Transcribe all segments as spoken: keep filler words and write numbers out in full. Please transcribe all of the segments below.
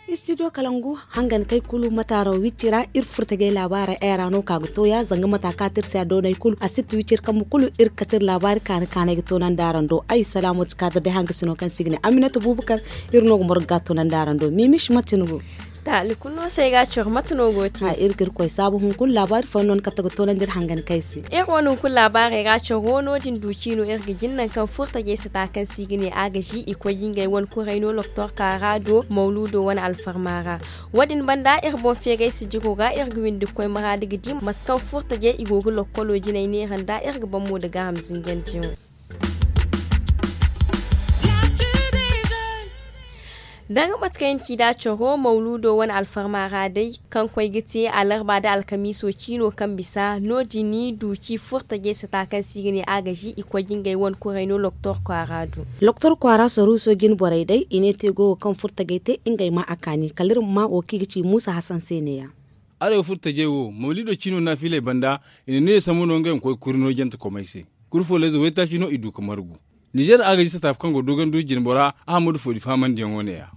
Istidiyo kalangu hangan kay kulu mataaro wicci ra iri furtajay laabaara era no ka ga tooya zanga mata ka ti iri se a doonay kulu a si ti wicci iri kambe kulu iri kate iri laabaari kaani kaanay ga toonandi araŋ do ay salaamu ti kaadar day hanga sino kaŋ se i ga ne aminata buubakar. Iri no ga morga ga toonandi araŋ do miimish mate ni go? Taali kulu no se ay ga a coro mate no go te? Iri ga iri koy saabu hunkuna laabaari fooyaŋ no ni kate ga toonandi iri hangan kay se. Iri wane hunkuna laabaarey ra coro no din du ciino iri ga jin nangu kaŋ furtajey sata kaŋ se i ga ne agazi i koy ga ngey wane kuray no loktor kaara do mawluudo wane alfarma ra. Wo- din banda iri boŋ feeray sijiro ra iri ga windi ga koy maraadi ga di mate kaŋ furtajey i go ga lokkolo jinay neera nda iri ga ban mo nda gaaham zinjandiyaŋo. Danga mate kaŋ i na ci nd'a coro mawluudo wane alfarma ra day kaŋ koy ga te alarba nda alkamiiso ciino kaŋ bisa no- din i du ci furtajey sata kaŋ se i ga ne agazi i koy ga ngey wane kuray no loktor kwaara du. Loktor kwaara saruuso jine borey day i ne te go wo kaŋ furtajey te ngey ma a kaani kala iri ma ma wo kaŋ i ga ci muusa hasan se neeya. Arayo furtajey wo mawliido ciino naafiley banda i na ne sambu no ngey ma koy kuri no jante komey se. Kuri fooleyze waytaaci no i du ga margu. Nizeer agazi sata fo kaŋ go dooganduuji jine bora ahammadu foodi faamandiyaŋo neeya.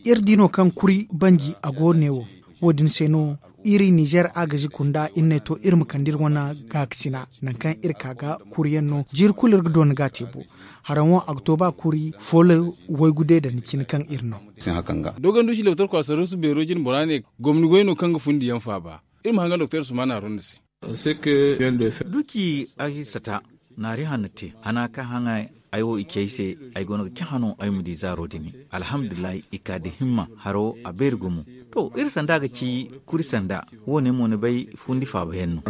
Iri di no kaŋ kuri banji a go ne wo. Wo- din se no iri nizeer agazi kunda iri ne to iri ma kande iri wane gaakasina nangu kaŋ iri ka ga kuriyaŋ no jiiri kulu iri ga doona ga a te bo. Haraŋo a ga to ba kuri foolo waygu day da ni cine kaŋ iri no. Dooganduusi loktor kwasaruusu beero jine bora ne gomni goy no kaŋ ga fundiyaŋ faaba. Iri ma hangan doktor sumaana ronda se. Duci ay sata naari hanno te hana kaŋ haŋay ay wo i ci ay se. Ay goono ga cahã no ay ma di zaaro din. Alhamdulillahi i ka da himma haro a beeri gumo. To iri sanda ga ci kuri sanda. Wo- ne mo ni bay fundi faaba yaŋ no.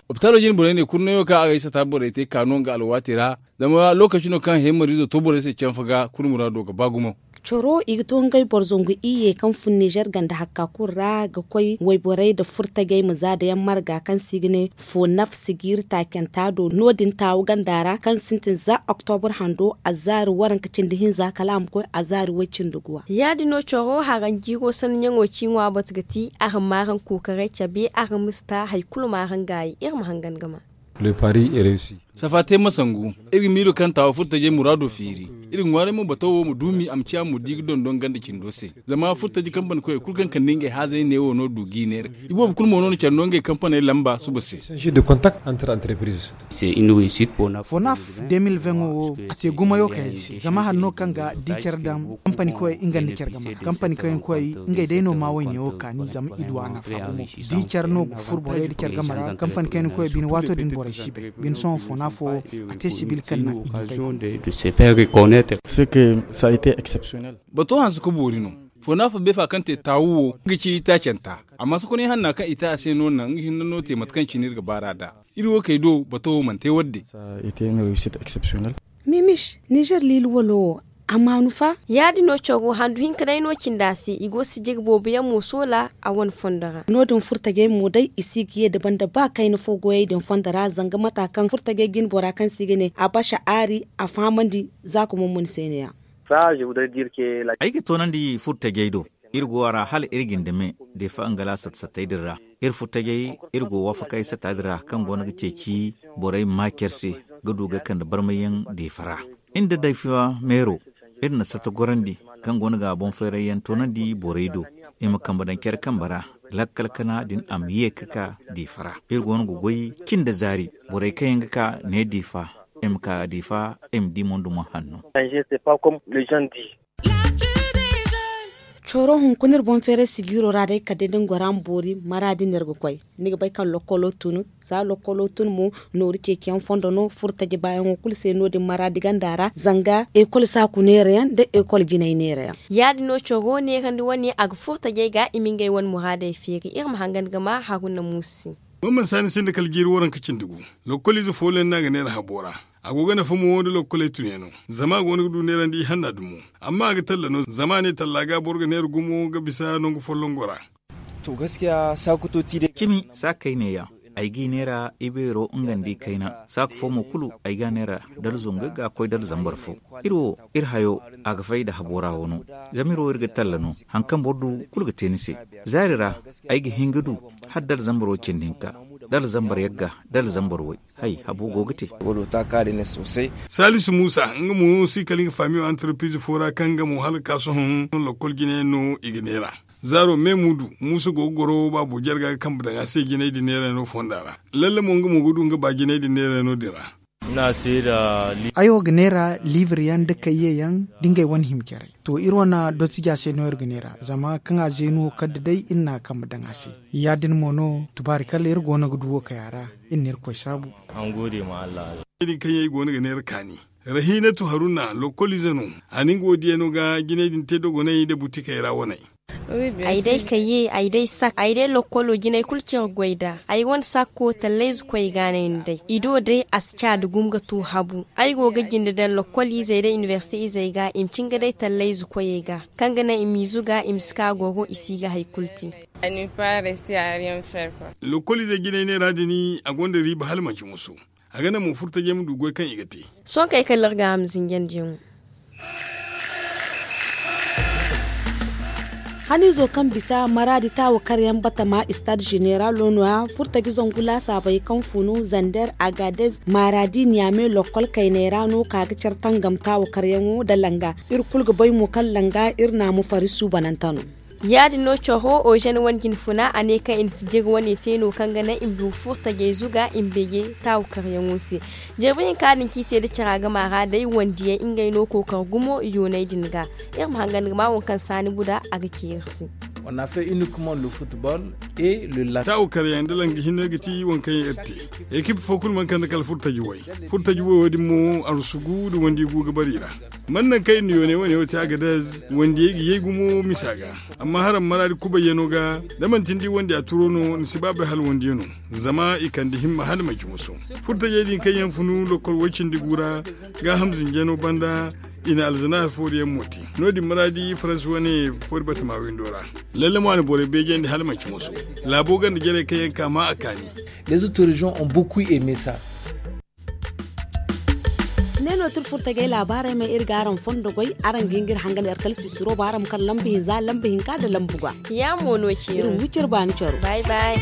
Opitaalo jine borey ne kurnayo kaŋ a ga ay sata borey te ka no nga alwaati ra. Zama lookaci no kaŋ hemariizo to borey se canfa ga kuri muraado ga ba gumo. Coro i ga to ngey boro zangu iyye kaŋ fun nizer ganda hakka kulu ra ga koy wayborey nda furtajey ma za dayaŋ marga kaŋ se i ga ne fo naf sijiiri taacanta do no- din taawu ganda ra kaŋ sintin za oktobur hando azaari waranka cindi hinza kala a ma koy azaari way cindi guwa. Ya- din no coro haraŋ jiiro sanniyaŋo ci ŋwa batu ga ti araŋ ma araŋ kookaray cabe araŋ ma si ta hari kulu ma araŋ gaayi iri ma hangan ga ma. Safa te ma sangu. Iri ga miilo kaŋ taawo furtajey muraado feeri. Iri ga ŋwaaray mo bato wo ma duumi a ma ciya mo di ga dondon ganda cindo se. Zama furtaji kampani koyey kulu kaŋ kande ngey haazey neewo no du ga i neera. Iboobo kulu mo no na care no ngey kampaney lamba suba se. Fonaf de mil vingt wo a te gumayo kaŋ ay se zama hari no kaŋ ga di care daŋ kampani koyey nga nda care game ra kampani koyey koyey ngey day no ma wo ɲewo kaani zama i du a nafa gumo. Di care no ga furo borey nda care game ra kampani koyey bine waato din borey si bay bine sohõ fonaf wo a te sibil kaŋ na i ma bay. Bato hanse ka boori no. Fonaf beefa kaŋ te taawu wo nga ci itaacanta. Amma sokonay hanna kaŋ i te a se no naŋ nga hinne no te mate kaŋ cine iri ga baar'a nd'a. Iri wo kay do bato wo mana te wadde. Mimis nizer liili walo wo a maanu fa. Ya- din no coro handu hinka day no cindi a se i go sijiri boobo yaŋ mo soola a wane fondo ra. No- din furtajey mo day i si ga ye da banda ba kayna fo goyey din fondo ra zanga mata kaŋ furtajey jine bora kaŋ se i ga ne a basa aari a fahamandi. Za ka mummuni se ne- ya. Ay ga toonandi furtajey do. Iri go a ra hala iri ga ni dame deefa nga la satta-sattey din ra. Iri furtajey iri go waafakey satta din ra kaŋ goono ga ceeci borey ma ma care se ga du ga kande barmayyaŋ deefa ra. Iri nda deefa meero iri na satta gorandi kaŋ goono ga boŋ-feerayyaŋ toonandi borey do. I ma kambe daŋ care kambe ra lakkal kana din a ma ye ga ka deefa ra. Iri goono ga goy cin da zaari borey kaŋ yaŋ ga ka ne deefa i ma ka deefa i ma di mo nda mo hanno. Coro hunkuna iri boŋ feeray sijiiro ra day kala day da ni gora ma boori maraadi no iri ga koy. Ni ga bay kaŋ lokkolo tun za lokkolo tun mo nooru ceeciyaŋ fondo no furo taji baayaŋo kulu se no- din maraadi ganda ra zanga ekol saaku neerayaŋ nda ekol jinay neerayaŋ. Ya- din no coro neerandi wane a ga furo tajey ga i ma ngey wane muraadey feeri iri ma hangan ga ma haruna muusu se. Mamman saani sinda kala jiiri waranka cindi gu. Lokkoliize foolo yaŋ no a ga neera habo ra. A go ga nafa mo nda lokkoley tunyaŋo zama a go no ga du neerandi ihanna dumo. Amma a ga talla no zama a ne talla ga boro ga neera gumo ga bisa nangu folloŋ go ra. To gaskiya saaku to ti day. Cimi saakey neeya. ay g'i neera ibeero nga nda i kayna. Saaka fo mo kulu ay g'a neera, dala zongey ga koy dala zambar fo. Iri wo, iri hayo, a ga fay nda habo ra wo no. Zama iri wo iri ga talla no, hari kaŋ boro du kulu ga te ni se. Zaari ra, ay ga hin ga du hala dala zambar way cindi hinka, dala zambar yagga, dala zambar way. Hay, habo go ga te. Saalisu muusa nga mo si kala nga faamiyo antarpiize fo ra kaŋ nga mo hala ga ka sohõ, lokol jinayaŋ no i ga neera. Zaaro me muudu, muusa go ga goro baabo jarga ga kambe daŋ a se jinay din neera no fonda ra. Lalle mo nga mo ga du nga ba jinay din neera no din ra. Ay wo ga neera liibir yaŋ nda kayye yaŋ, da ngey wane hima jarey. To, iri wane dottija se no iri ga neera, zama kaŋ a zeenu wo kadda day iri n'a kambe daŋ a se. Ya- din mo no, tubaari kala iri go no ga du wo kay a ra. Iri na irkoy saabu. Din kaŋ yaŋ i go no ga neera kaani. Rahiinatu haruna lokoliize no. A na nga wo diya no ga jinay din te dogonay nda butikey ra waney. Ay day kayye, ay day sak, ay day lokkolo jinay kulu care goy nd'a. Ay wane sakko tallayze koyey ga no ay na day. I do day a si ca nda gumo ga tu habu. Ay go ga jinde daŋ lokkoliizey nda inibersite izey ga i ma cin ga day tallayze koyey ga, kaŋ ga naŋ i m'i zuga i ma si ka goro i si ga hari kulu te. Lokoliizey jinay neera din a gonda riiba hala manci musu. A ga naŋ mo furtajey ma du goy kaŋ i ga te. Sohõ kay kala iri ga a ma zinjandiyaŋo. Haniizo kaŋ bisa maraadi taawakaryaŋ batama istaad zeneralo no- ya furtaji zangu laasaabey kaŋ funu zander, agadez, maraadi niyame lokkol kayney ra no ka ga care tangam taawakaryaŋo nda langa. Iri kulu ga bay mo kaŋ langa iri naamu fari suubanante no. Ya- din no coro ozen wane jinfuna a ne kaŋ i na si jiri wane te no kaŋ ga naŋ i ma du furtajey zuga i ma beeje taawakaryaŋo se. Jirbi hinka din kaŋ i te nda cara gama ra day wandiyey ngey no kookar gumo yooney din ga. Iri ma hangan ga ma waŋ kaŋ saani buda a ga ci iri se. Taawakaryaŋ nda langa hinne ga ti waŋ kaŋ yaŋ iri te. Ekip fo kulu mana kande kala furtaji way. Furtaji wayo din mo arsugu nda wandi gu ga bari i ra. Man naŋ kaŋ iri na yooney wane wo te agadez, wandiyey ga yay gumo misa ga. Amma haraŋ maraadi kubayyano ga, da manti ni di wandiya turo no ni si ba bay hala wandiya no. Zama i kande himma hala manci muso. Furtajey din kaŋ yaŋ funu lokkol way cindi gu ra, gaaham zinjano banda, i na alzana fooriyaŋ mo te. No- din maraadi faransi wane foori batama windo ra. Lalle mo a na borey beejandi hala manci muso. Laabo ganda jarey kaŋ yaŋ ka ma a kaani. Les autorijon ont beaucoup aimé ça. Ne no tira furtajey laabaarey ma iri ga araŋ fondo goy. Araŋ ga hin ga iri hangan iri kala sisiro ba araŋ ma kar lamba hinza lamba hinka nda lamba gwa. Ya mo no ci iri ma wi ciri baani caro. Bay bay.